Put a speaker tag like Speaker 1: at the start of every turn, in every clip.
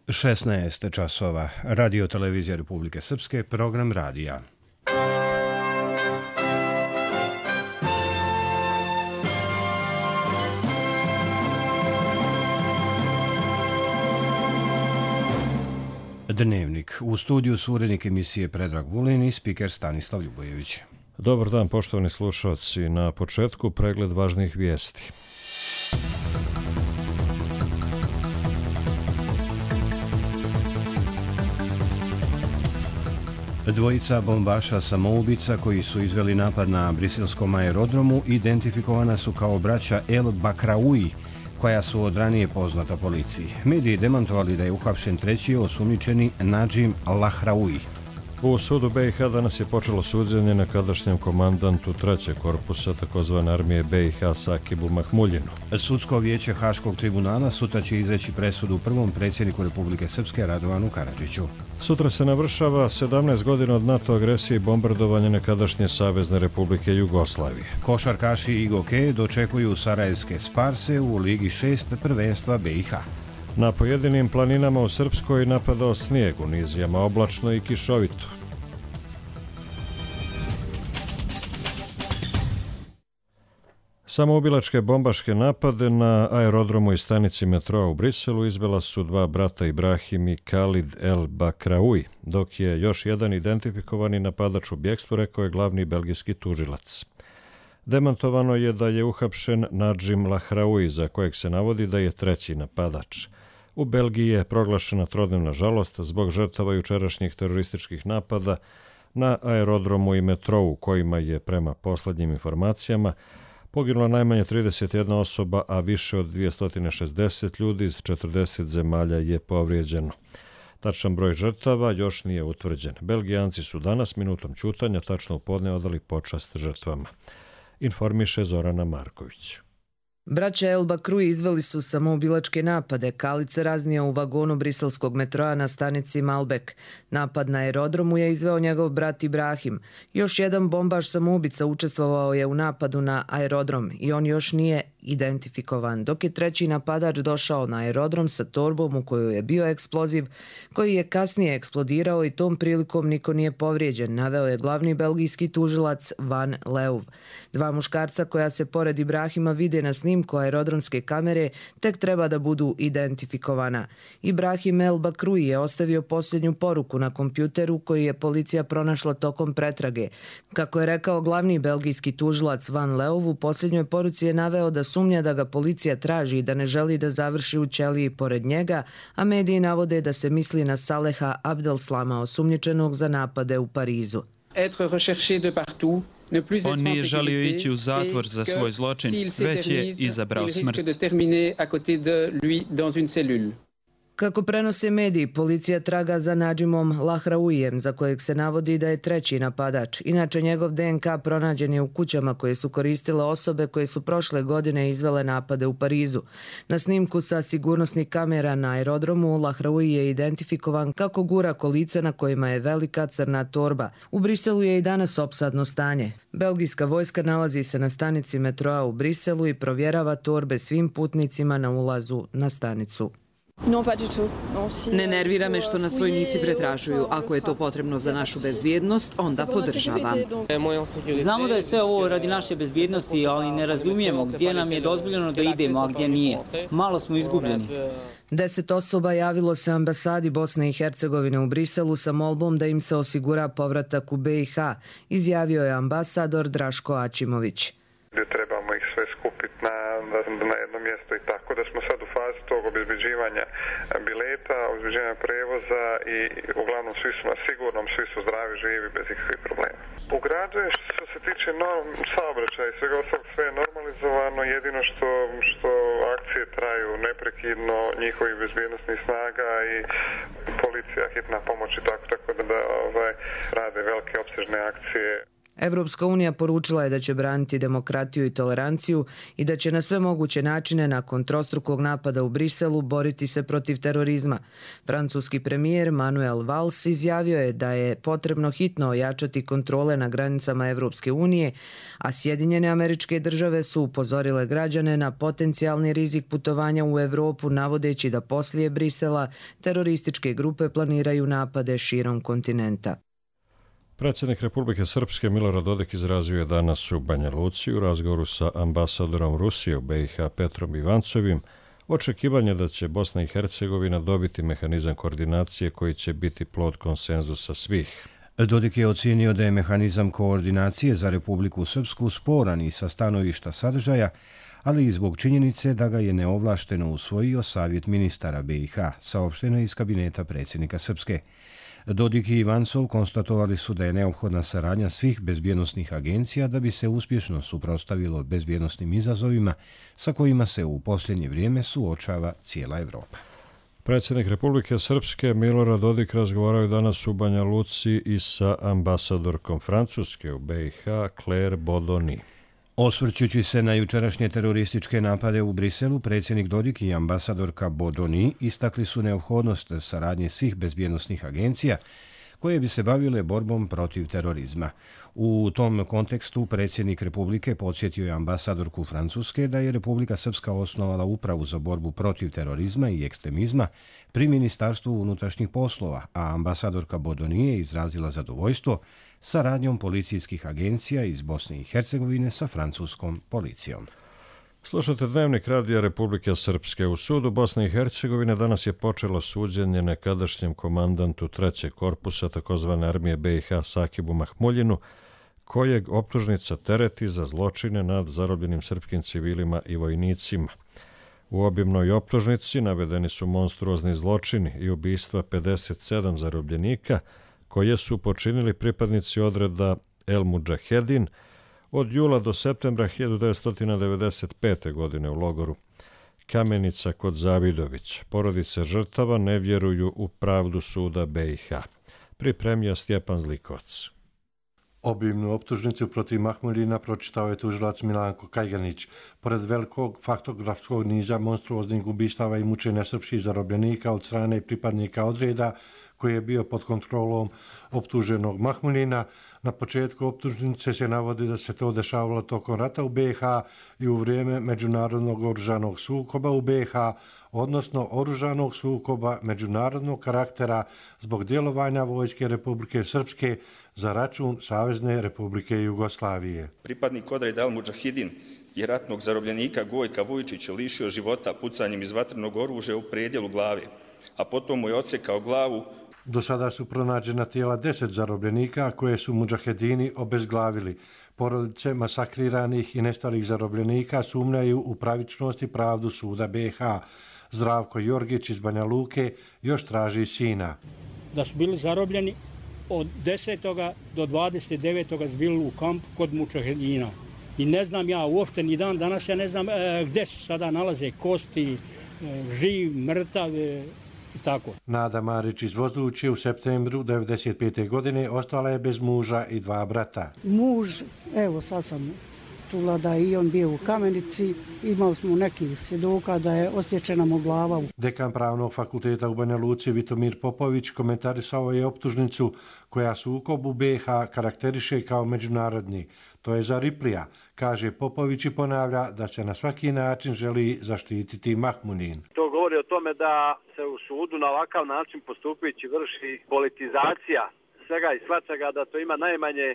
Speaker 1: 16 časova. Radio Televizija Republike Srpske, program radija. Dnevnik. U studiju su urednik emisije Predrag Vulin i spiker Stanislav Ljubojević.
Speaker 2: Dobar dan, poštovani slušalci. Na početku pregled važnih vijesti.
Speaker 1: Dvojica bombaša samoubica koji su izveli napad na briselskom aerodromu identifikovana su kao braća El Bakraoui, koja su od ranije poznata policiji. Mediji demantovali da je uhapšen treći osumnjičeni Nadžim Lahraoui.
Speaker 2: U sudu BiH danas je počelo suđenje nekadašnjem komandantu trećeg korpusa takozvane armije BiH Sakibu Mahmuljinu.
Speaker 1: Sudsko vijeće Haškog tribunala sutra će izreći presudu prvom predsjedniku Republike Srpske Radovanu Karadžiću.
Speaker 2: Sutra se navršava 17 godina od NATO agresije i bombardovanja nekadašnje Savezne Republike Jugoslavije.
Speaker 1: Košarkaši Igoke dočekuju sarajevske Sparse u Ligi 6 prvenstva BiH.
Speaker 2: Na pojedinim planinama u Srpskoj napadao snijeg, u nizijama oblačno i kišovito. Samoubilačke bombaške napade na aerodromu i stanici metroa u Briselu izvela su dva brata Ibrahim i Khalid El Bakraoui, dok je još jedan identifikovani napadač u bjekstvu, rekao je glavni belgijski tužilac. Demantovano je da je uhapšen Nadžim Lahraoui, za kojeg se navodi da je treći napadač. U Belgiji je proglašena trodnevna žalost zbog žrtava jučerašnjih terorističkih napada na aerodromu i metrou, u kojima je, prema poslednjim informacijama, poginulo najmanje 31 osoba, a više od 260 ljudi iz 40 zemalja je povrijeđeno. Tačan broj žrtava još nije utvrđen. Belgijanci su danas minutom ćutanja tačno u podne odali počast žrtvama. Informiše Zorana Marković.
Speaker 3: Braća El Bakraoui izveli su samoubilačke napade. Khalid se raznio u vagonu briselskog metroa na stanici Malbek. Napad na aerodromu je izveo njegov brat Ibrahim. Još jedan bombaš samoubica učestvovao je u napadu na aerodrom i on još nije identifikovan, dok je treći napadač došao na aerodrom sa torbom u kojoj je bio eksploziv, koji je kasnije eksplodirao i tom prilikom niko nije povrijeđen, naveo je glavni belgijski tužilac Van Leuv. Dva muškarca koja se pored Ibrahima vide na snimku aerodromske kamere tek treba da budu identifikovana. Ibrahim El Bakraoui je ostavio posljednju poruku na kompjuteru koju je policija pronašla tokom pretrage. Kako je rekao glavni belgijski tužilac Van Leuv, u posljednjoj poruci je naveo da sumnja da ga policija traži i da ne želi da završi u ćeliji pored njega, a mediji navode da se misli na Saleha Abdelslama, osumnjičenog za napade u Parizu.
Speaker 4: On nije želio ići u zatvor za svoj zločin, već je izabrao smrt.
Speaker 3: Kako prenose mediji, policija traga za Nadžimom Lahraouijem, za kojeg se navodi da je treći napadač. Inače, njegov DNK pronađen je u kućama koje su koristile osobe koje su prošle godine izvele napade u Parizu. Na snimku sa sigurnosnih kamera na aerodromu Lahraoui je identifikovan kako gura kolica na kojima je velika crna torba. U Briselu je i danas opsadno stanje. Belgijska vojska nalazi se na stanici metroa u Briselu i provjerava torbe svim putnicima na ulazu na stanicu.
Speaker 5: Ne nervira me što nas vojnici pretražuju. Ako je to potrebno za našu bezbjednost, onda podržavam.
Speaker 6: Znamo da je sve ovo radi naše bezbjednosti, ali ne razumijemo gdje nam je dozvoljeno da idemo, a gdje nije. Malo smo izgubljeni.
Speaker 3: 10 osoba javilo se ambasadi Bosne i Hercegovine u Briselu sa molbom da im se osigura povratak u BiH, izjavio je ambasador Draško Ačimović.
Speaker 7: Trebamo ih sve skupiti na jedno mjesto i tako da smo sad u fazi tog obezbeđivanja bileta, obezbeđivanja prevoza i uglavnom svi su na sigurnom, svi su zdravi, živi, bez ikakvih problema. U gradu je što se tiče saobraćaja i svega ostalog sve je normalizovano, jedino što akcije traju neprekidno njihovih bezbjednosnih snaga i policija, hitna pomoć i tako da rade velike opsežne akcije.
Speaker 3: Evropska unija poručila je da će braniti demokratiju i toleranciju i da će na sve moguće načine nakon trostrukog napada u Briselu boriti se protiv terorizma. Francuski premijer Manuel Valls izjavio je da je potrebno hitno ojačati kontrole na granicama Evropske unije, a Sjedinjene Američke Države su upozorile građane na potencijalni rizik putovanja u Evropu, navodeći da poslije Brisela terorističke grupe planiraju napade širom kontinenta.
Speaker 2: Predsjednik Republike Srpske Milorad Dodik izrazio je danas u Banja Luci u razgovoru sa ambasadorom Rusije u BiH Petrom Ivancovim očekivanje da će Bosna i Hercegovina dobiti mehanizam koordinacije koji će biti plod konsenzusa svih.
Speaker 1: Dodik je ocijenio da je mehanizam koordinacije za Republiku Srpsku sporan i sa stanovišta sadržaja, ali i zbog činjenice da ga je neovlašteno usvojio Savjet ministara BiH, saopšteno iz kabineta predsjednika Srpske. Dodik i Ivancov konstatovali su da je neophodna saradnja svih bezbjednosnih agencija da bi se uspješno suprotstavilo bezbjednosnim izazovima sa kojima se u posljednje vrijeme suočava cijela Evropa.
Speaker 2: Predsjednik Republike Srpske Milorad Dodik razgovarao je danas u Banja Luci i sa ambasadorkom Francuske u BiH Claire Bodoni.
Speaker 1: Osvrćući se na jučerašnje terorističke napade u Briselu, predsjednik Dodik i ambasadorka Bodoni istakli su neophodnost saradnje svih bezbjednosnih agencija koje bi se bavile borbom protiv terorizma. U tom kontekstu predsjednik Republike podsjetio je ambasadorku Francuske da je Republika Srpska osnovala upravu za borbu protiv terorizma i ekstremizma pri Ministarstvu unutrašnjih poslova, a ambasadorka Bodoni je izrazila zadovoljstvo saradnjom policijskih agencija iz Bosne i Hercegovine sa francuskom policijom.
Speaker 2: Slušate Dnevnik radija Republike Srpske. U sudu Bosne i Hercegovine danas je počelo suđenje nekadašnjem komandantu 3. korpusa tzv. Armije BiH Sakibu Mahmuljinu, kojeg optužnica tereti za zločine nad zarobljenim srpskim civilima i vojnicima. U obimnoj optužnici navedeni su monstruozni zločini i ubistva 57 zarobljenika koje su počinili pripadnici odreda El Mudžahedin od jula do septembra 1995. godine u logoru Kamenica kod Zavidović. Porodice žrtava ne vjeruju u pravdu suda BiH. Pripremio Stjepan Zlikovac.
Speaker 8: Obimnu optužnicu protiv Mahmuljina pročitao je tužilac Milanko Kajganić. Pored velikog faktografskog niza monstruoznih ubistava i mučenja srpskih zarobljenika od strane pripadnika odreda koji je bio pod kontrolom optuženog Mahmuljina, na početku optužnice se navodi da se to dešavalo tokom rata u BiH i u vrijeme međunarodnog oružanog sukoba u BiH, odnosno oružanog sukoba međunarodnog karaktera zbog djelovanja vojske Republike Srpske za račun Savezne Republike Jugoslavije.
Speaker 9: Pripadnik odreda El Mudžahedin i ratnog zarobljenika Gojka Vujčića lišio života pucanjem iz vatrenog oružja u predjelu glave, a potom mu je odsekao glavu.
Speaker 8: Do sada su pronađena tijela 10 zarobljenika koje su mudžahedini obezglavili. Porodice masakriranih i nestalih zarobljenika sumnjaju u pravičnost i pravdu suda BiH. Zdravko Jorgić iz Banja Luke još traži sina.
Speaker 10: Da su bili zarobljeni od 10. do 29. su bili u kampu kod mudžahedina. I ne znam ja uopšte ni dan danas, ja ne znam gdje se sada nalaze kosti, živ, mrtav, tako.
Speaker 8: Nada Marić iz Vozuće u septembru 1995. godine ostala je bez muža i 2 brata.
Speaker 11: Muž, evo sad sam čula da je i on bio u Kamenici, imali smo nekih svjedoka da je osječena mu glava.
Speaker 8: Dekan Pravnog fakulteta u Banja Luci Vitomir Popović komentarisao je optužnicu koja sukob u BiH karakteriše kao međunarodni. To je za Riplija, kaže Popović i ponavlja da se na svaki način želi zaštititi Mahmuljin.
Speaker 12: To govori o tome da se u sudu na ovakav način postupajući vrši politizacija svega i svačega, da to ima najmanje,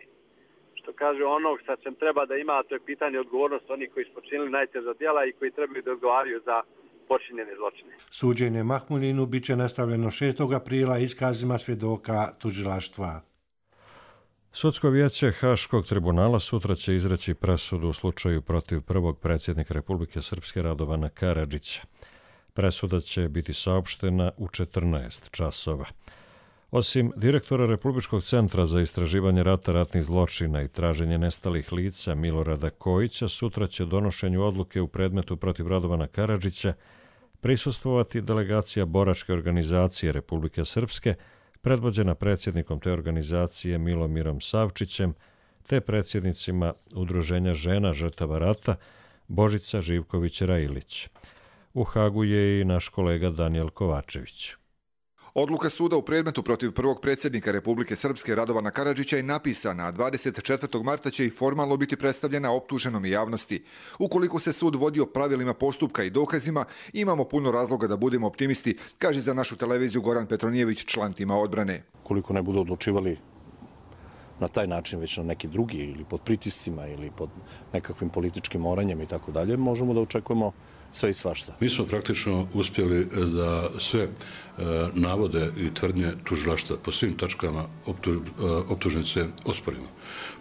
Speaker 12: što kaže, onog sa čem treba da ima, a to je pitanje odgovornosti onih koji su počinili najteža djela i koji trebaju da odgovaraju za počinjene zločine.
Speaker 8: Suđenje Mahmuljinu bit će nastavljeno 6. aprila iskazima svjedoka tužilaštva.
Speaker 2: Sudsko vijeće Haškog tribunala sutra će izreći presudu u slučaju protiv prvog predsjednika Republike Srpske Radovana Karadžića. Presuda će biti saopštena u 14 časova. Osim direktora Republičkog centra za istraživanje rata, ratnih zločina i traženje nestalih lica Milorada Kojića, sutra će donošenju odluke u predmetu protiv Radovana Karadžića prisustvovati delegacija boračke organizacije Republike Srpske, predvođena predsjednikom te organizacije Milomirom Savčićem, te predsjednicima Udruženja žena žrtava rata Božica Živković-Railić. U Hagu je i naš kolega Danijel Kovačević.
Speaker 13: Odluka suda u predmetu protiv prvog predsjednika Republike Srpske Radovana Karadžića je napisana, a 24. marta će i formalno biti predstavljena optuženom i javnosti. Ukoliko se sud vodio pravilima postupka i dokazima, imamo puno razloga da budemo optimisti, kaže za našu televiziju Goran Petronijević, član tima odbrane.
Speaker 14: Koliko ne budu odlučivali na taj način, već na neki drugi, ili pod pritiscima, ili pod nekakvim političkim moranjem i tako dalje, možemo da očekujemo sve i svašta.
Speaker 15: Mi smo praktično uspjeli da sve navode i tvrdnje tužilaštva po svim tačkama optužnice osporimo.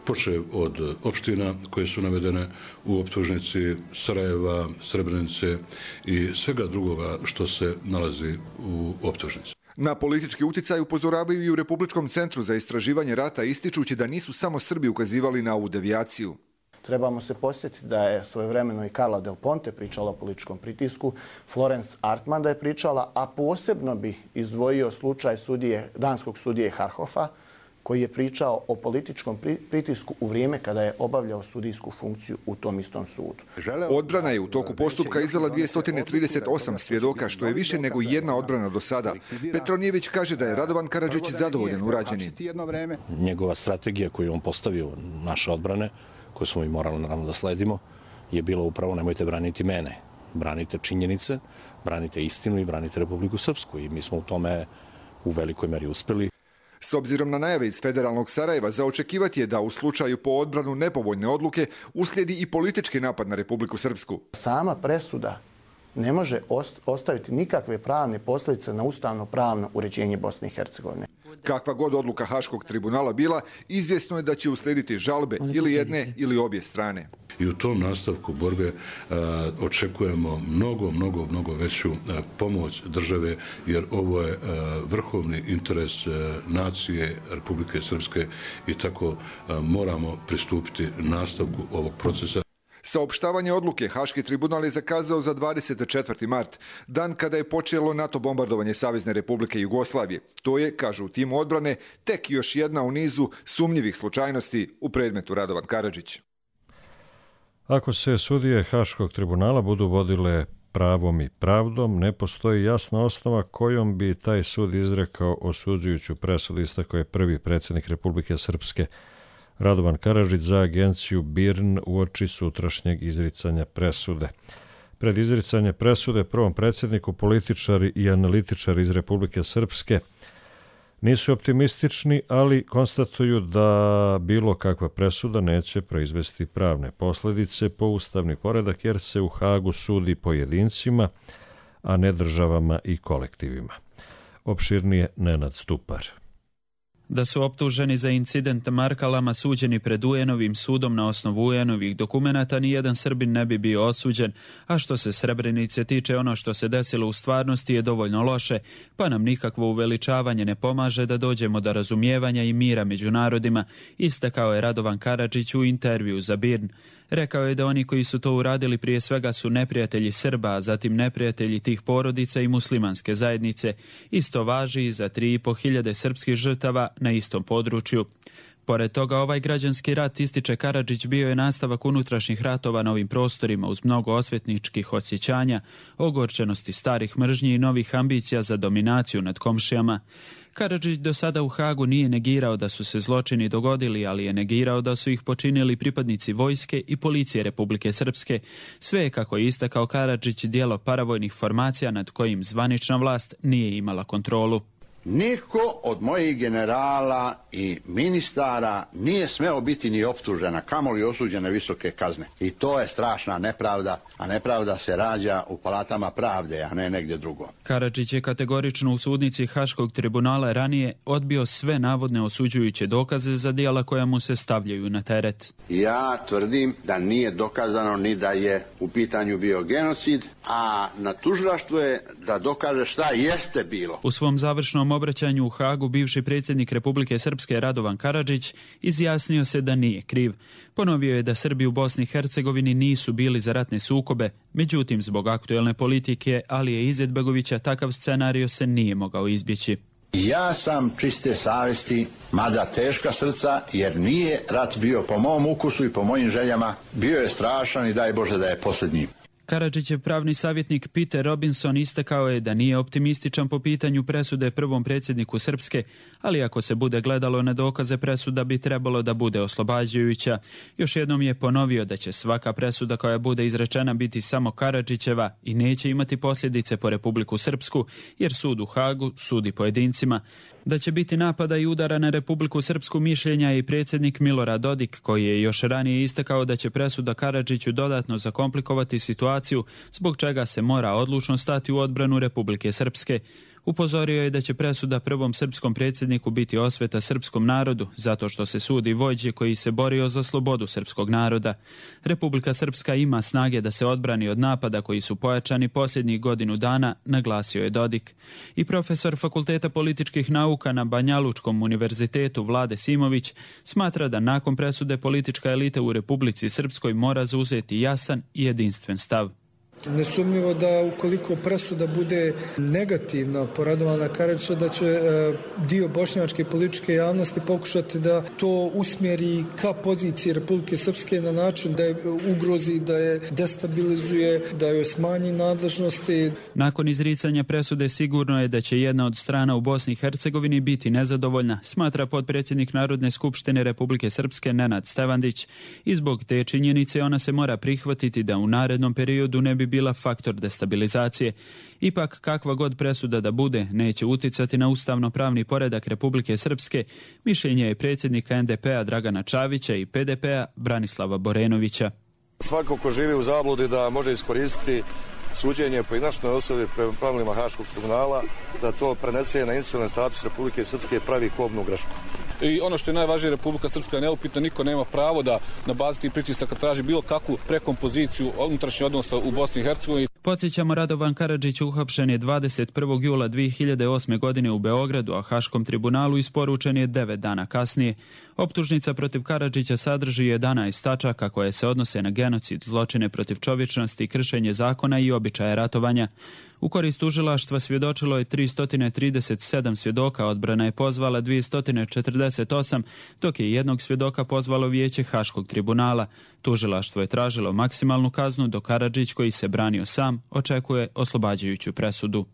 Speaker 15: Počev od opština koje su navedene u optužnici, Sarajeva, Srebrenice i svega drugoga što se nalazi u optužnici.
Speaker 13: Na politički uticaj upozoravaju i u Republičkom centru za istraživanje rata, ističući da nisu samo Srbi ukazivali na ovu devijaciju.
Speaker 16: Trebamo se posjetiti da je svojevremeno i Carla Del Ponte pričala o političkom pritisku, Florence Artman da je pričala, a posebno bi izdvojio slučaj danskog sudije Harhofa, koji je pričao o političkom pritisku u vrijeme kada je obavljao sudijsku funkciju u tom istom sudu.
Speaker 13: Odbrana je u toku postupka izvela 238 svjedoka, što je više nego jedna odbrana do sada. Petronijević kaže da je Radovan Karadžić zadovoljan urađenim.
Speaker 14: Njegova strategija koju on postavio naše odbrane, koju smo i morali naravno da sledimo, je bilo upravo nemojte braniti mene. Branite činjenice, branite istinu i branite Republiku Srpsku. I mi smo u tome u velikoj meri uspjeli.
Speaker 13: S obzirom na najave iz federalnog Sarajeva, za očekivati je da u slučaju po odbranu nepovoljne odluke uslijedi i politički napad na Republiku Srpsku.
Speaker 16: Sama presuda ne može ostaviti nikakve pravne posljedice na ustavno-pravno uređenje Bosne i Hercegovine.
Speaker 13: Kakva god odluka Haškog tribunala bila, izvjesno je da će uslijediti žalbe ili jedne ili obje strane.
Speaker 15: I u tom nastavku borbe očekujemo mnogo veću pomoć države, jer ovo je vrhovni interes nacije Republike Srpske i tako moramo pristupiti nastavku ovog procesa.
Speaker 13: Saopštavanje odluke Haški tribunal je zakazao za 24. mart, dan kada je počelo NATO bombardovanje Savezne Republike Jugoslavije. To je, kažu u timu odbrane, tek još jedna u nizu sumnjivih slučajnosti u predmetu Radovan Karadžić.
Speaker 2: Ako se sudije Haškog tribunala budu vodile pravom i pravdom, ne postoji jasna osnova kojom bi taj sud izrekao osuđujuću presudu, istakao je prvi predsjednik Republike Srpske Radovan Karadžić za agenciju BIRN uoči sutrašnjeg izricanja presude. Pred izricanje presude prvom predsjedniku političari i analitičari iz Republike Srpske nisu optimistični, ali konstatuju da bilo kakva presuda neće proizvesti pravne posljedice po ustavni poredak, jer se u Hagu sudi pojedincima, a ne državama i kolektivima. Opširnije Nenad Stupar.
Speaker 4: Da su optuženi za incident Markalama suđeni pred UN-ovim sudom na osnovu UN-ovih dokumenata, nijedan Srbin ne bi bio osuđen, a što se Srebrenice tiče, ono što se desilo u stvarnosti je dovoljno loše, pa nam nikakvo uveličavanje ne pomaže da dođemo do razumijevanja i mira među narodima, istakao je Radovan Karadžić u intervju za BIRN. Rekao je da oni koji su to uradili prije svega su neprijatelji Srba, a zatim neprijatelji tih porodica i muslimanske zajednice. Isto važi i za 3.500 srpskih žrtava na istom području. Pored toga, ovaj građanski rat, ističe Karadžić, bio je nastavak unutrašnjih ratova na ovim prostorima uz mnogo osvetničkih osjećanja, ogorčenosti starih mržnji i novih ambicija za dominaciju nad komšijama. Karadžić do sada u Hagu nije negirao da su se zločini dogodili, ali je negirao da su ih počinili pripadnici vojske i policije Republike Srpske. Sve je, kako je istakao Karadžić, djelo paravojnih formacija nad kojim zvanična vlast nije imala kontrolu.
Speaker 17: Niko od mojih generala i ministara nije smeo biti ni optužena, kamoli osuđene visoke kazne. I to je strašna nepravda, a nepravda se rađa u palatama pravde, a ne negdje drugo.
Speaker 4: Karadžić je kategorično u sudnici Haškog tribunala ranije odbio sve navodne osuđujuće dokaze za djela koja mu se stavljaju na teret.
Speaker 17: Ja tvrdim da nije dokazano ni da je u pitanju bio genocid, a na tužilaštvu je da dokaže šta jeste bilo.
Speaker 4: U svom završnom obraćanju u Hagu bivši predsjednik Republike Srpske Radovan Karadžić izjasnio se da nije kriv. Ponovio je da Srbi u Bosni i Hercegovini nisu bili za ratne sukobe, međutim zbog aktuelne politike Alije Izetbegovića takav scenario se nije mogao izbjeći.
Speaker 17: Ja sam čiste savjesti, mada teška srca, jer nije rat bio po mom ukusu i po mojim željama. Bio je strašan i daj Bože da je posljednji.
Speaker 4: Karadžićev pravni savjetnik Peter Robinson istakao je da nije optimističan po pitanju presude prvom predsjedniku Srpske, ali ako se bude gledalo na dokaze, presuda bi trebalo da bude oslobađajuća. Još jednom je ponovio da će svaka presuda koja bude izrečena biti samo Karadžićeva i neće imati posljedice po Republiku Srpsku, jer sud u Hagu sudi pojedincima. Da će biti napada i udara na Republiku Srpsku mišljenja i predsjednik Milorad Dodik, koji je još ranije istakao da će presuda Karadžiću dodatno zakomplikovati situaciju, zbog čega se mora odlučno stati u odbranu Republike Srpske. Upozorio je da će presuda prvom srpskom predsjedniku biti osveta srpskom narodu, zato što se sudi vođe koji se borio za slobodu srpskog naroda. Republika Srpska ima snage da se odbrani od napada koji su pojačani posljednjih godinu dana, naglasio je Dodik. I profesor Fakulteta političkih nauka na Banjalučkom univerzitetu Vlade Simović smatra da nakon presude politička elita u Republici Srpskoj mora zauzeti jasan i jedinstven stav.
Speaker 18: Nesumnjivo da ukoliko presuda bude negativna po Radovana Karadžića, da će dio bošnjačke političke javnosti pokušati da to usmjeri ka poziciji Republike Srpske na način da je ugrozi, da je destabilizuje, da joj smanji nadležnosti.
Speaker 4: Nakon izricanja presude sigurno je da će jedna od strana u Bosni i Hercegovini biti nezadovoljna, smatra potpredsjednik Narodne skupštine Republike Srpske Nenad Stevandić. I zbog te činjenice ona se mora prihvatiti da u narednom periodu ne bi bila faktor destabilizacije. Ipak, kakva god presuda da bude, neće uticati na ustavno-pravni poredak Republike Srpske, mišljenje je predsjednika NDP-a Dragana Čavića i PDP-a Branislava Borenovića.
Speaker 19: Svako ko živi u zabludi da može iskoristiti suđenje pojedinačnoj osobi prema pravilima Haškog tribunala, da to prenese na institucionalni status Republike Srpske, pravi kobnu grešku.
Speaker 20: I ono što je najvažnije, Republika Srpska je neupitna, niko nema pravo da na bazi tih pritisaka traži bilo kakvu prekompoziciju unutrašnjih odnosa u Bosni i Hercegovini.
Speaker 4: Podsjećamo, Radovan Karadžić uhapšen je 21. jula 2008. godine u Beogradu, a Haškom tribunalu isporučen je 9 dana kasnije. Optužnica protiv Karadžića sadrži 11 tačaka koje se odnose na genocid, zločine protiv čovječnosti, kršenje zakona i običaje ratovanja. U korist tužilaštva svjedočilo je 337 svjedoka, odbrana je pozvala 248, dok je jednog svjedoka pozvalo vijeće Haškog tribunala. Tužilaštvo je tražilo maksimalnu kaznu, dok Karadžić, koji se branio sam, očekuje oslobađajuću presudu.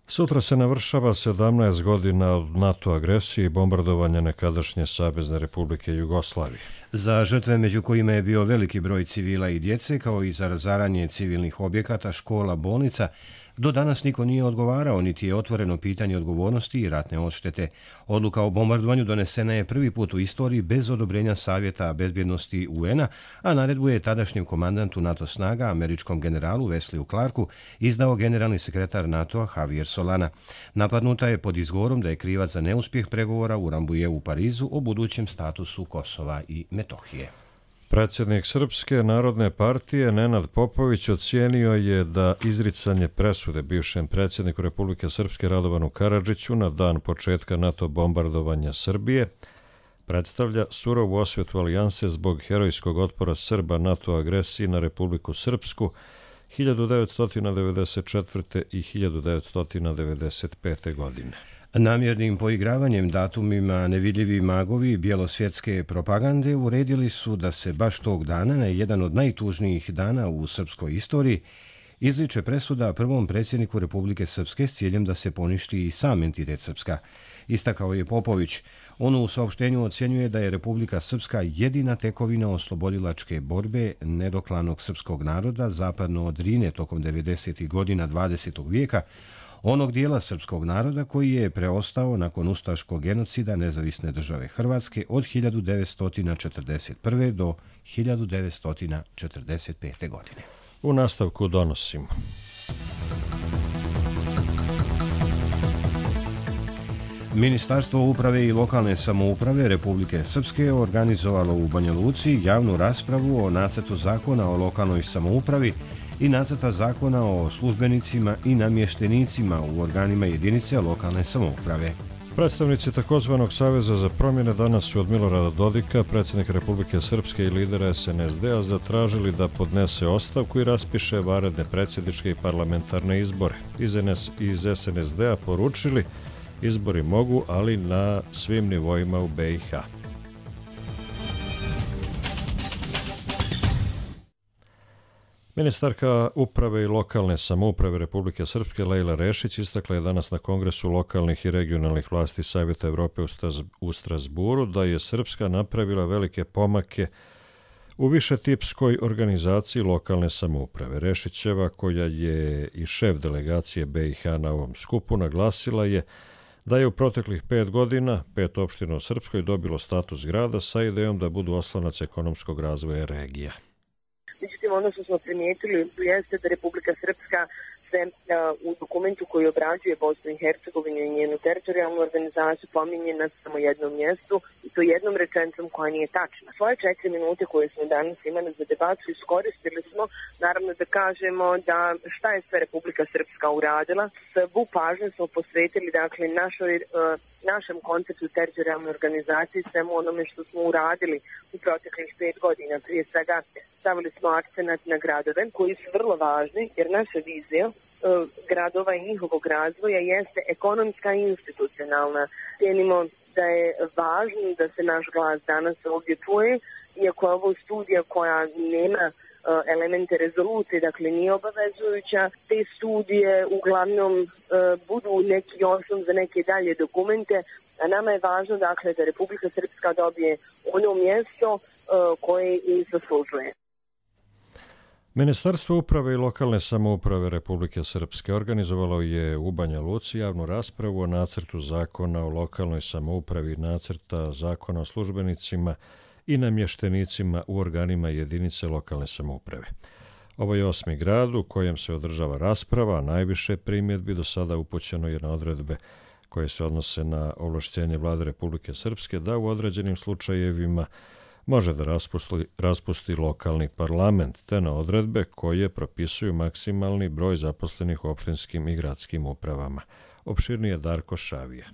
Speaker 2: Sutra se navršava 17 godina od NATO agresije i bombardovanja nekadašnje Savezne Republike Jugoslavije.
Speaker 1: Za žrtve, među kojima je bio veliki broj civila i djece, kao i za razaranje civilnih objekata, škola, bolnica, do danas niko nije odgovarao, niti je otvoreno pitanje odgovornosti i ratne odštete. Odluka o bombardovanju donesena je prvi put u istoriji bez odobrenja Savjeta bezbjednosti UN-a, a naredbu je tadašnjem komandantu NATO snaga, američkom generalu Wesleyu Clarku, izdao generalni sekretar NATO-a Javier Solana. Napadnuta je pod izgovorom da je krivac za neuspjeh pregovora u Rambouillet u Parizu o budućem statusu Kosova i Metohije.
Speaker 2: Predsjednik Srpske narodne partije Nenad Popović ocijenio je da izricanje presude bivšem predsjedniku Republike Srpske Radovanu Karadžiću na dan početka NATO bombardovanja Srbije predstavlja surovu osvetu alijanse zbog herojskog otpora Srba NATO agresiji na Republiku Srpsku 1994. i 1995. godine.
Speaker 1: Namjernim poigravanjem datumima nevidljivi magovi bjelosvjetske propagande uredili su da se baš tog dana, na jedan od najtužnijih dana u srpskoj istoriji, izriče presuda prvom predsjedniku Republike Srpske s ciljem da se poništi i sam entitet Srpska. Istakao je Popović. On u saopštenju ocjenjuje da je Republika Srpska jedina tekovina oslobodilačke borbe nedoklanog srpskog naroda zapadno od Drine tokom 90. godina 20. vijeka, onog dijela srpskog naroda koji je preostao nakon ustaškog genocida Nezavisne države Hrvatske od 1941. do 1945. godine.
Speaker 2: U nastavku donosimo.
Speaker 1: Ministarstvo uprave i lokalne samouprave Republike Srpske organizovalo u Banja Luci javnu raspravu o nacrtu zakona o lokalnoj samoupravi i nacrta zakona o službenicima i namještenicima u organima jedinice lokalne samouprave.
Speaker 2: Predstavnici takozvanog Saveza za promjene danas su od Milorada Dodika, predsjednika Republike Srpske i lidera SNSD-a, zatražili da podnese ostavku i raspiše vanredne predsjedničke i parlamentarne izbore. Iz SNSD-a poručili: Izbori mogu, ali na svim nivoima u BiH. Ministarka uprave i lokalne samouprave Republike Srpske Lejla Rešić istakla je danas na Kongresu lokalnih i regionalnih vlasti Savjeta Evrope u Strasburu da je Srpska napravila velike pomake u višetipskoj organizaciji lokalne samouprave. Rešićeva, koja je i šef delegacije BiH na ovom skupu, naglasila je da je u proteklih 5 godina 5 opština u Srpskoj dobilo status grada sa idejom da budu oslonac ekonomskog razvoja regija.
Speaker 21: Međutim, ono što smo primijetili jeste da Republika Srpska se u dokumentu koji obrađuje Bosnu i Hercegovinu i njenu teritorijalnu organizaciju pominje na samo jednom mjestu i to jednom rečenicom koja nije tačna. Svoje 4 minute koje smo danas imali za debatu iskoristili smo naravno da kažemo da šta je sve Republika Srpska uradila. Svu pažnju smo posvetili dakle našem konceptu teritorijalne organizacije, svemu onome što smo uradili u proteklih 5 godina. Prije svega stavili smo akcenat na gradove koji su vrlo važni jer naša vizija gradova i njihovog razvoja jeste ekonomska i institucionalna. Cijenimo da je važno da se naš glas danas ovdje čuje, iako je ovo studija koja nema elemente rezolucije, dakle nije obavezujuća, te studije uglavnom budu neki osnov za neke dalje dokumente, a nama je važno dakle da Republika Srpska dobije ono mjesto koje i zaslužuje.
Speaker 2: Ministarstvo uprave i lokalne samouprave Republike Srpske organizovalo je u Banja Luci javnu raspravu o nacrtu zakona o lokalnoj samoupravi i nacrta zakona o službenicima i namještenicima u organima jedinice lokalne samouprave. Ovo je 8. grad u kojem se održava rasprava, a najviše primjedbi do sada upućeno je na odredbe koje se odnose na ovlašćenje Vlade Republike Srpske da u određenim slučajevima može da raspusti lokalni parlament, te na odredbe koje propisuju maksimalni broj zaposlenih u opštinskim i gradskim upravama. Opširnije Darko Šavija.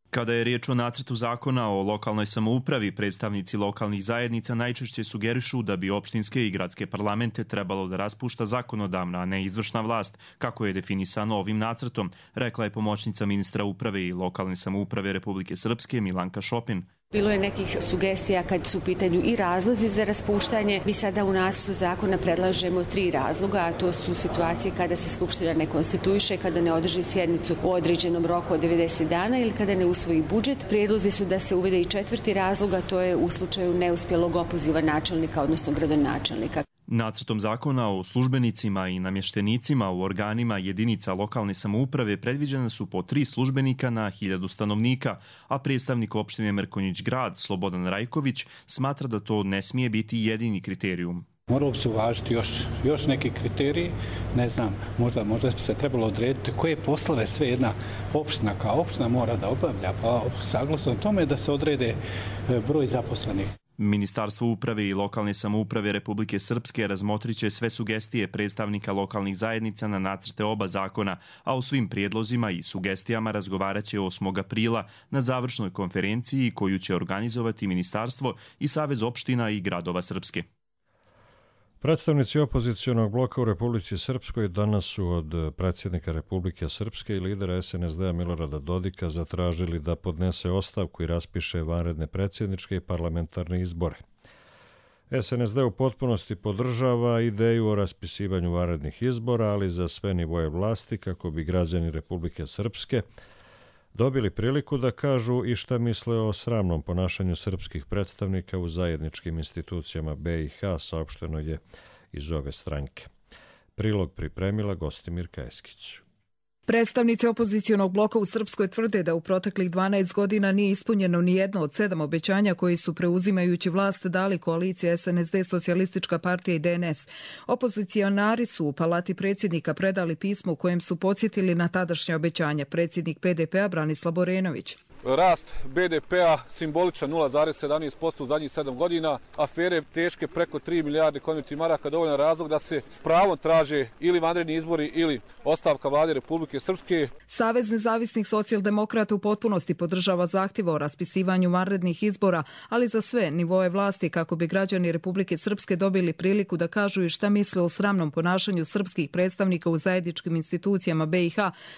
Speaker 22: Kada je riječ o nacrtu zakona o lokalnoj samoupravi, predstavnici lokalnih zajednica najčešće sugerišu da bi opštinske i gradske parlamente trebalo da raspušta zakonodavna, a ne izvršna vlast, kako je definisano ovim nacrtom, rekla je pomoćnica ministra uprave i lokalne samouprave Republike Srpske Milanka Šopin.
Speaker 23: Bilo je nekih sugestija kad su u pitanju i razlozi za raspuštanje. Mi sada u nacrtu zakona predlažemo 3 razloga, a to su situacije kada se Skupština ne konstituiše, kada ne održi sjednicu u određenom roku od 90 dana ili kada ne usvoji budžet. Prijedlozi su da se uvede i 4. razlog, a to je u slučaju neuspjelog opoziva načelnika, odnosno gradonačelnika.
Speaker 22: Nacrtom zakona o službenicima i namještenicima u organima jedinica lokalne samouprave predviđena su po 3 službenika na 1000 stanovnika, a predstavnik opštine Mrkonjić Grad, Slobodan Rajković, smatra da to ne smije biti jedini kriterijum.
Speaker 24: Moralo bi se uvažiti još neki kriteriji, ne znam, možda bi se trebalo odrediti koje poslove sve jedna opština kao opština mora da obavlja, pa saglasno tome da se odrede broj zaposlenih.
Speaker 22: Ministarstvo uprave i lokalne samouprave Republike Srpske razmotriće sve sugestije predstavnika lokalnih zajednica na nacrte oba zakona, a o svim prijedlozima i sugestijama razgovaraće 8. aprila na završnoj konferenciji koju će organizovati Ministarstvo i Savez opština i gradova Srpske.
Speaker 2: Predstavnici opozicionog bloka u Republici Srpskoj danas su od predsjednika Republike Srpske i lidera SNSD-a Milorada Dodika zatražili da podnese ostavku i raspiše vanredne predsjedničke i parlamentarne izbore. SNSD u potpunosti podržava ideju o raspisivanju vanrednih izbora, ali za sve nivoje vlasti kako bi građani Republike Srpske dobili priliku da kažu i šta misle o sramnom ponašanju srpskih predstavnika u zajedničkim institucijama BiH, saopšteno je iz ove stranke. Prilog pripremila Gostimir Kajeskić.
Speaker 25: Predstavnici opozicionog bloka u Srpskoj tvrde da u proteklih 12 godina nije ispunjeno ni jedno od 7 obećanja koji su preuzimajući vlast dali koalicija SNSD, Socijalistička partija i DNS. Opozicionari su u palati predsjednika predali pismo u kojem su podsjetili na tadašnje obećanje. Predsjednik PDP-a Branislav Borenović.
Speaker 20: rast BDP-a simboličan 0,17% u zadnjih 7 godina, afere teške preko 3 milijarde konvertnih maraka, dovoljan razlog da se s pravom traže ili vanredni izbori ili ostavka vlade Republike Srpske.
Speaker 25: Savez nezavisnih socijaldemokrata u potpunosti podržava zahtjev o raspisivanju vanrednih izbora, ali za sve nivoe vlasti kako bi građani Republike Srpske dobili priliku da kažu i šta misle o sramnom ponašanju srpskih predstavnika u zajedničkim institucijama BiH,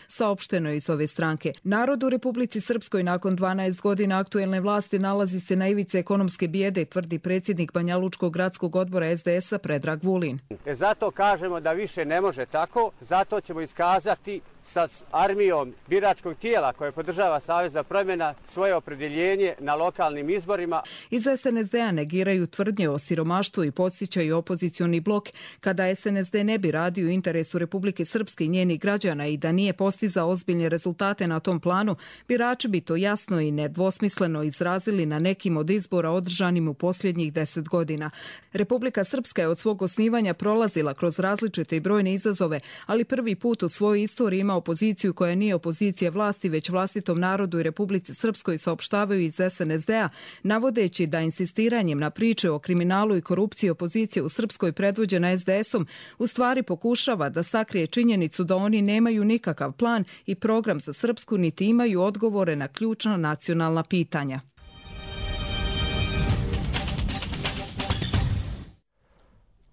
Speaker 25: saopšteno je iz ove stranke. Narod u Republici Srpskoj nakon 12 godina aktuelne vlasti nalazi se na ivici ekonomske bijede, tvrdi predsjednik Banjalučkog gradskog odbora SDS-a Predrag Vulin.
Speaker 3: Zato kažemo da više ne može tako, zato ćemo iskazati sa armijom biračkog tijela koje podržava Savez za promjena svoje opredjeljenje na lokalnim izborima.
Speaker 25: Iz SNSD-a negiraju tvrdnje o siromaštvu i podsjećaju opozicioni blok kada SNSD ne bi radio u interesu Republike Srpske i njenih građana i da nije postizao ozbiljne rezultate na tom planu, birači bi to jasno i nedvosmisleno izrazili na nekim od izbora održanim u posljednjih 10 godina. Republika Srpska je od svog osnivanja prolazila kroz različite i brojne izazove, ali prvi put u svojoj istoriji ima opoziciju koja nije opozicija vlasti, već vlastitom narodu i Republici Srpskoj, saopštavaju iz SNSD-a, navodeći da insistiranjem na priče o kriminalu i korupciji opozicije u Srpskoj predvođena SDS-om u stvari pokušava da sakrije činjenicu da oni nemaju nikakav plan i program za Srpsku, niti imaju odgovore na ključna nacionalna pitanja.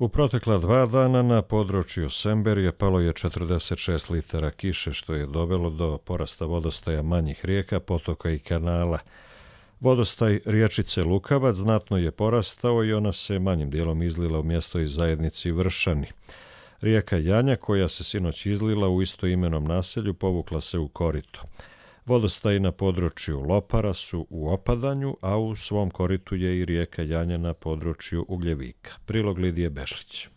Speaker 2: U protekla 2 dana na području Semberije palo je 46 litara kiše, što je dovelo do porasta vodostaja manjih rijeka, potoka i kanala. Vodostaj riječice Lukavac znatno je porastao i ona se manjim dijelom izlila u mjesto i zajednici Vršani. Rijeka Janja, koja se sinoć izlila u istoimenom naselju, povukla se u korito. Vodostaji na području Lopara su u opadanju, a u svom koritu je i rijeka Janja na području Ugljevika. Prilog Lidije Bešlić.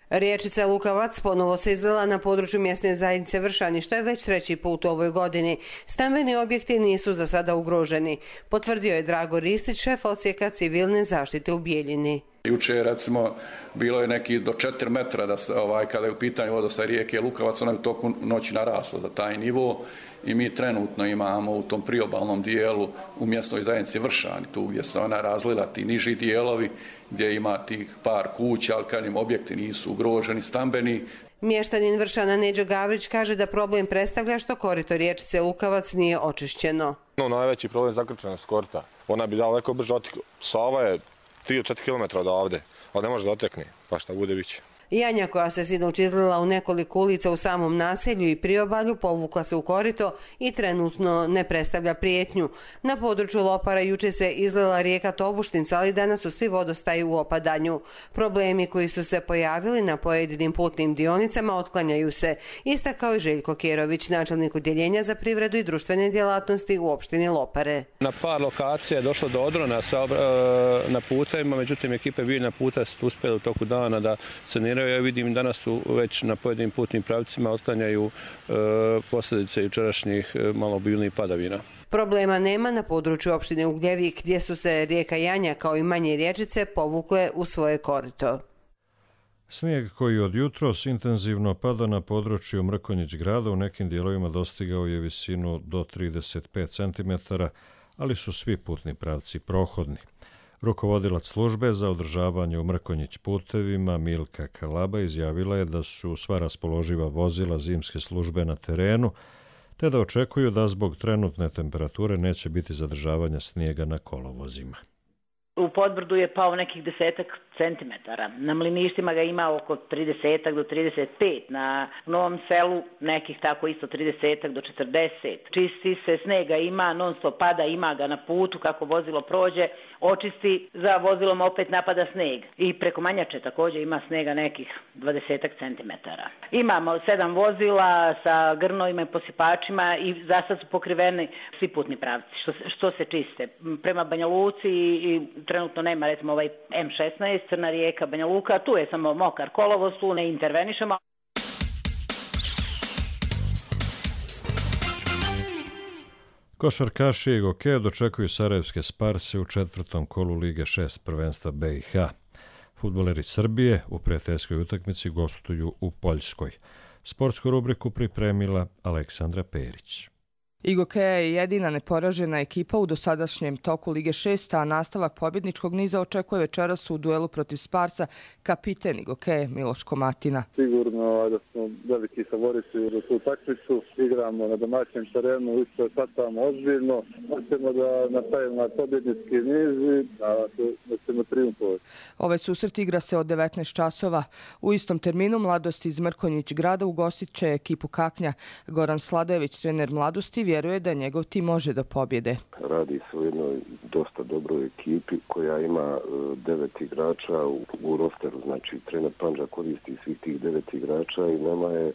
Speaker 5: Riječica Lukavac ponovo se izlila na području mjesne zajednice Vršani, što je već 3. put u ovoj godini. Stambeni objekti nisu za sada ugroženi, potvrdio je Drago Ristić, šef odsjeka civilne zaštite u Bijeljini.
Speaker 6: Juče, recimo, bilo je neki do 4 metra da se, kada je u pitanju vodostaj rijeke Lukavac, ona je u toku noći narasla za taj nivo i mi trenutno imamo u tom priobalnom dijelu u mjesnoj zajednici Vršani, tu gdje se ona razlila, ti niži dijelovi gdje ima tih par kuća, ali kad im objekti nisu ugroženi, stambeni.
Speaker 5: Mještanin Vršana Neđo Gavrić kaže da problem predstavlja što korito riječice Lukavac nije očišćeno.
Speaker 7: Najveći problem je zakrčenost korita. Ona bi daleko brže otekla. Sava je 3-4 km od ovde, ali ne može da otekne, pa šta bude biće.
Speaker 5: Janja, koja se sinoć izlila u nekoliko ulica u samom naselju i priobalju, povukla se u korito i trenutno ne predstavlja prijetnju. Na području Lopara juče se izlila rijeka Tobuštica, ali danas su svi vodostaji u opadanju. Problemi koji su se pojavili na pojedinim putnim dionicama otklanjaju se, istakao je Željko Kerović, načelnik odjeljenja za privredu i društvene djelatnosti u opštini Lopare.
Speaker 9: Na par lokacija je došlo do odrona na putevima, međutim ekipe biljna puta su uspjeli u toku dana da saniraju. Ja vidim danas su već na pojedinim putnim pravcima otklanjaju posljedice jučerašnjih malobilnih padavina.
Speaker 5: Problema nema na području opštine Ugljevik, gdje su se rijeka Janja kao i manje riječice povukle u svoje korito.
Speaker 2: Snijeg koji od jutros intenzivno pada na području Mrkonjić grada u nekim dijelovima dostigao je visinu do 35 cm, ali su svi putni pravci prohodni. Rukovodilac službe za održavanje u Mrkonjić putevima Milka Kalaba izjavila je da su sva raspoloživa vozila zimske službe na terenu, te da očekuju da zbog trenutne temperature neće biti zadržavanja snijega na kolovozima.
Speaker 26: U Podbrdu je pao nekih 10 centimetara. Na Mliništima ga ima oko 30 do 35. Na Novom Selu nekih tako isto 30 do 40. Čisti se, snega ima, non stop pada, ima ga na putu kako vozilo prođe. Očisti, za vozilom opet napada sneg. I preko Manjače također ima snega nekih 20 centimetara. Imamo 7 vozila sa grnovima i posipačima i za sad su pokriveni svi putni pravci što se čiste. Prema Banja Luci i trenutno nema recimo ovaj M16, Crna Rijeka, Banja Luka, tu je samo mokar kolovoz, tu ne intervenišemo.
Speaker 2: Košarkaši i Gokeja dočekuju sarajevske Sparse u 4. kolu Lige 6 prvenstva BiH. Fudbaleri Srbije u prijateljskoj utakmici gostuju u Poljskoj. Sportsku rubriku pripremila Aleksandra Perić.
Speaker 8: IGOKEA je jedina neporažena ekipa u dosadašnjem toku Lige 6, a nastavak pobjedničkog niza očekuje večeras u duelu protiv Sparsa kapiten IGOKEA Miloš Komatina.
Speaker 10: Sigurno da smo veliki favoriti za tu takmicu, igramo na domaćem terenu, isto satamo ozbiljno, hoćemo da nastavimo na pobjednički niz i da ćemo triumfovati.
Speaker 8: Ovaj susret igra se od 19 časova. U istom terminu Mladost iz Mrkonjić grada ugostit će ekipu Kaknja. Goran Sladojević, trener Mladosti, vjeruje da njegov tim može do pobjede.
Speaker 11: Radi se o jednoj dosta dobroj ekipi koja ima 9 igrača u rosteru, znači trener Pandža koristi svih tih 9 igrača i nama je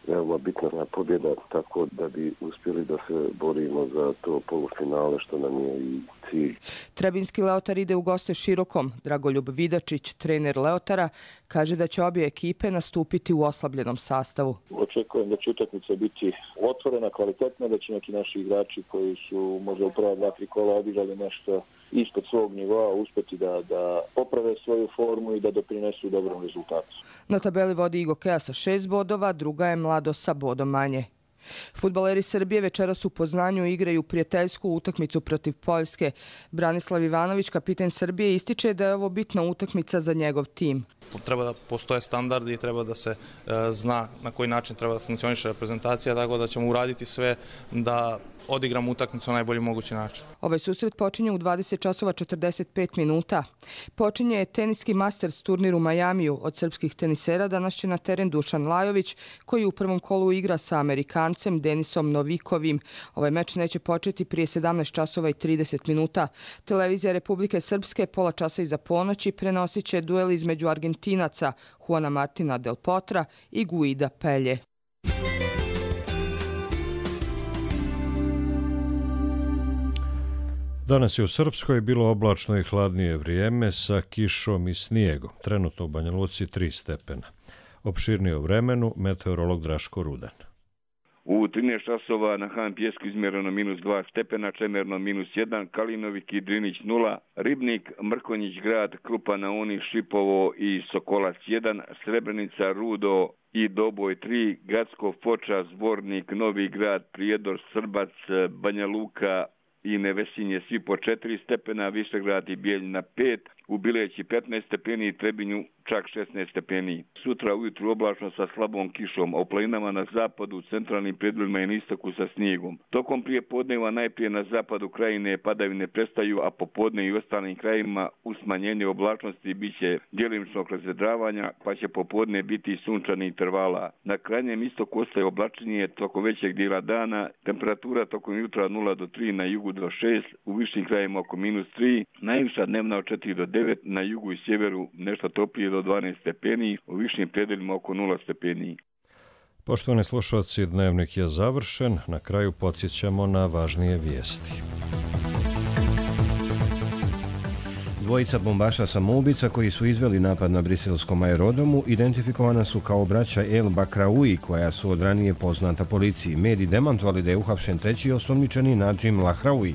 Speaker 11: veoma bitna pobjeda, tako da bi uspjeli da se borimo za to polufinale što nam je i cilj.
Speaker 8: Trebinski Leotar ide u goste Širokom. Dragoljub Vidačić, trener Leotara, kaže da će obje ekipe nastupiti u oslabljenom sastavu.
Speaker 10: Očekujem da će utakmica biti otvorena, kvalitetna, da će neki naši igrači koji su možda u prva 2-3 kola odigrali nešto ispod svog nivoa uspjeti da poprave svoju formu i da doprinesu dobrom rezultatu.
Speaker 8: Na tabeli vodi IGOKEA sa 6 bodova, druga je Mladost sa bodom manje. Fudbaleri Srbije večeras u Poznanju igraju prijateljsku utakmicu protiv Poljske. Branislav Ivanović, kapiten Srbije, ističe da je ovo bitna utakmica za njegov tim.
Speaker 12: Treba da postoje standardi i treba da se zna na koji način treba da funkcioniše reprezentacija, tako da ćemo uraditi sve da odigramo utakmicu na najbolji mogući način.
Speaker 8: Ovaj susret počinje u 20 časova 45 minuta. Počinje teniski Masters turnir u Majamiju. Od srpskih tenisera danas će na teren Dušan Lajović, koji u prvom kolu igra sa Amerikancem Denisom Novikovim. Ovaj meč neće početi prije 17 časova i 30 minuta. Televizija Republike Srpske pola časa iza ponoći prenosit će duel između Argentinaca Juana Martina Del Potra i Guida Pelje.
Speaker 2: Danas je u Srpskoj bilo oblačno i hladnije vrijeme sa kišom i snijegom. Trenutno u Banja Luci 3 stepena. Opširnije o vremenu meteorolog Draško Rudan.
Speaker 14: U 13 časova na Han Pjesku izmjereno -2 stepena, Čemerno -1, Kalinovik i Drinić 0, Ribnik, Mrkonjić grad, Krupa na Uni, Šipovo i Sokolac 1, Srebrenica, Rudo i Doboj 3, Gacko, Foča, Zvornik, Novi grad, Prijedor, Srbac, Banja Luka i Nevesinje svi po 4 stepena, Višegrad i Bijeljina 5, u Bileći 15 stepeni i Trebinju čak 16 stepeni. Sutra ujutru oblačno sa slabom kišom, a u planinama na zapadu, centralnim predjelima i na istoku sa snijegom. Tokom prije podneva najprije na zapadu krajine padavine prestaju, a popodne i u ostalim krajima uz smanjenje oblačnosti biće djelimičnog razvedravanja, pa će popodne biti sunčanih intervala. Na krajnjem istoku ostaje oblačenje tokom većeg dijela dana, temperatura tokom jutra od 0 do 3, na jugu do 6, u višim krajima oko -3, najviša dnevna od 4 do 9, na jugu i sjeveru nešto toplije do 12 stepeni, u višim predeljima oko 0 stepeni.
Speaker 2: Poštovani slušalci, dnevnik je završen. Na kraju podsjećamo na važnije vijesti.
Speaker 1: Dvojica bombaša samoubica koji su izveli napad na briselskom aerodromu identifikovana su kao braća El Bakraoui, koja su od ranije poznata policiji. Mediji demantovali da je uhapšen treći osumnjičeni Nadžim Lahraoui.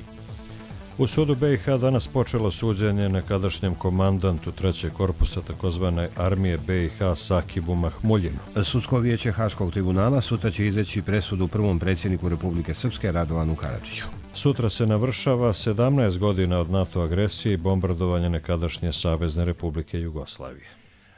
Speaker 2: U sudu BiH danas počelo suđenje nekadašnjem komandantu 3. korpusa takozvane armije BiH Sakibu Mahmuljinu.
Speaker 1: Sudsko vijeće Haškog tribunala sutra će izreći presudu prvom predsjedniku Republike Srpske Radovanu Karadžiću.
Speaker 2: Sutra se navršava 17 godina od NATO agresije i bombardovanja nekadašnje Savezne Republike Jugoslavije.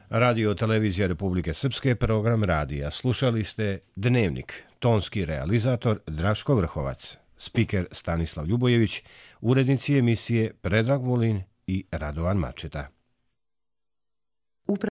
Speaker 1: Radio televizija Republike Srpske, program radija. Slušali ste Dnevnik, tonski realizator Draško Vrhovac, spiker Stanislav Ljubojević, urednici emisije Predrag Vulin i Radovan Mačeta.